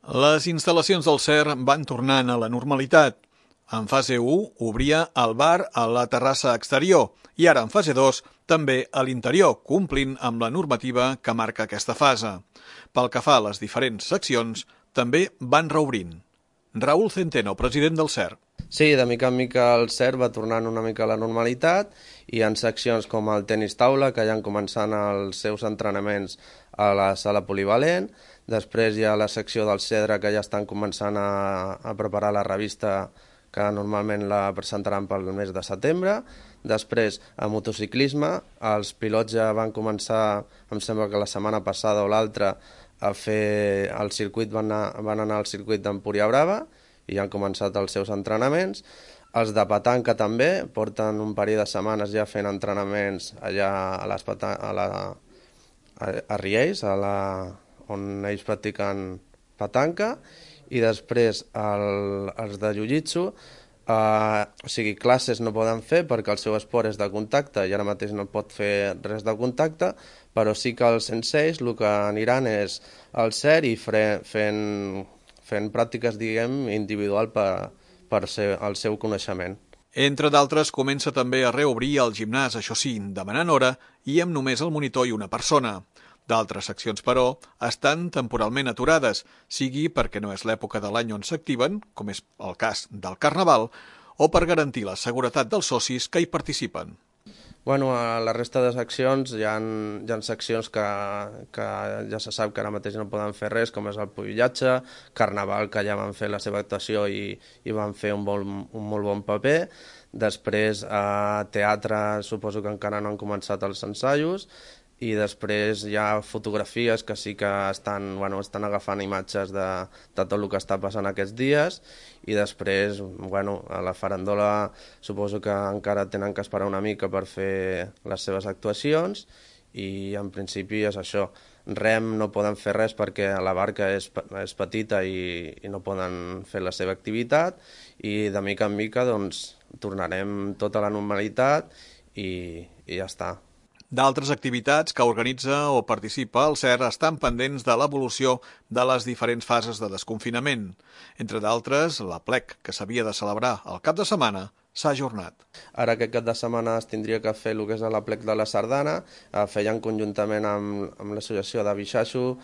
Les instal·lacions del CER van tornant a la normalitat. En fase 1 obria el bar a la terrassa exterior i ara en fase 2 també a l'interior, complint amb la normativa que marca aquesta fase. Pel que fa a les diferents seccions, també van reobrint. Raúl Centeno, president del CER. Sí, de mica en mica el CER va tornant una mica a la normalitat i en seccions com el tenis taula, que ja han començat els seus entrenaments a la sala polivalent. Després hi ha la secció del Cedre, que ja estan començant a preparar la revista, que normalment la presentaran pel mes de setembre. Després, a motociclisme, els pilots ja van començar, em sembla que la setmana passada o l'altra, a fer el circuit, van anar al circuit d'Empúria Brava i ja han començat els seus entrenaments. Els de petanca també porten un parell de setmanes ja fent entrenaments allà a Riells, on ells practiquen petanca, i després els de jiu-jitsu, o sigui, classes no poden fer perquè el seu esport és de contacte i ara mateix no pot fer res de contacte, però sí que els senseis el que aniran és al CER i fent pràctiques, diguem, individual per el seu coneixement. Entre d'altres, comença també a reobrir el gimnàs, això sí, demanant hora i amb només el monitor i una persona. D'altres seccions, però, estan temporalment aturades, sigui perquè no és l'època de l'any on s'activen, com és el cas del Carnaval, o per garantir la seguretat dels socis que hi participen. Bueno, a la resta de seccions hi ha seccions que ja se sap que ara mateix no poden fer res, com és el pubillatge, Carnaval, que ja van fer la seva actuació i van fer un molt bon paper. Després, a teatre, suposo que encara no han començat els ensaios, i després hi ha fotografies que sí que estan agafant imatges de tot el que està passant aquests dies, i després, a la farandola suposo que encara tenen que esperar una mica per fer les seves actuacions, i en principi és això. Rem no poden fer res perquè la barca és petita i no poden fer la seva activitat, i de mica en mica tornarem tota la normalitat i ja està. D'altres activitats que organitza o participa el CER estan pendents de l'evolució de les diferents fases de desconfinament. Entre d'altres, l'Aplec, que s'havia de celebrar el cap de setmana, s'ha ajornat. Ara aquest cap de setmana es tindria que fer el que és l'Aplec de la Sardana, feien conjuntament amb l'associació de Bixaixo,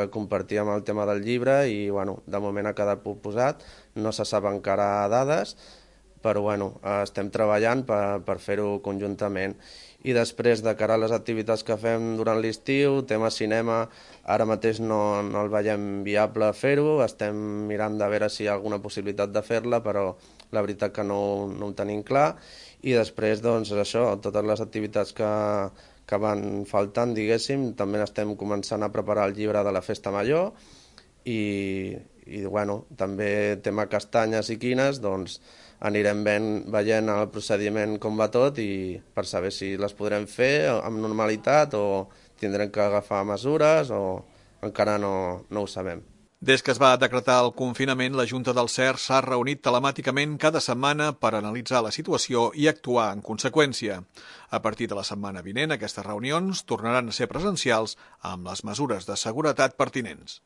compartíem el tema del llibre i de moment ha quedat posat, no se sap encara dades, però estem treballant per fer-ho conjuntament. I després, de cara a les activitats que fem durant l'estiu, tema cinema, ara mateix no el veiem viable fer-ho, estem mirant de veure si hi ha alguna possibilitat de fer-la, però la veritat que no ho tenim clar. I després, això, totes les activitats que van faltant, diguéssim, també estem començant a preparar el llibre de la Festa Major, i també tema castanyes i quines, anirem veient el procediment com va tot i per saber si les podrem fer amb normalitat o tindrem que agafar mesures o encara no ho sabem. Des que es va decretar el confinament, la Junta del CER s'ha reunit telemàticament cada setmana per analitzar la situació i actuar en conseqüència. A partir de la setmana vinent, aquestes reunions tornaran a ser presencials amb les mesures de seguretat pertinents.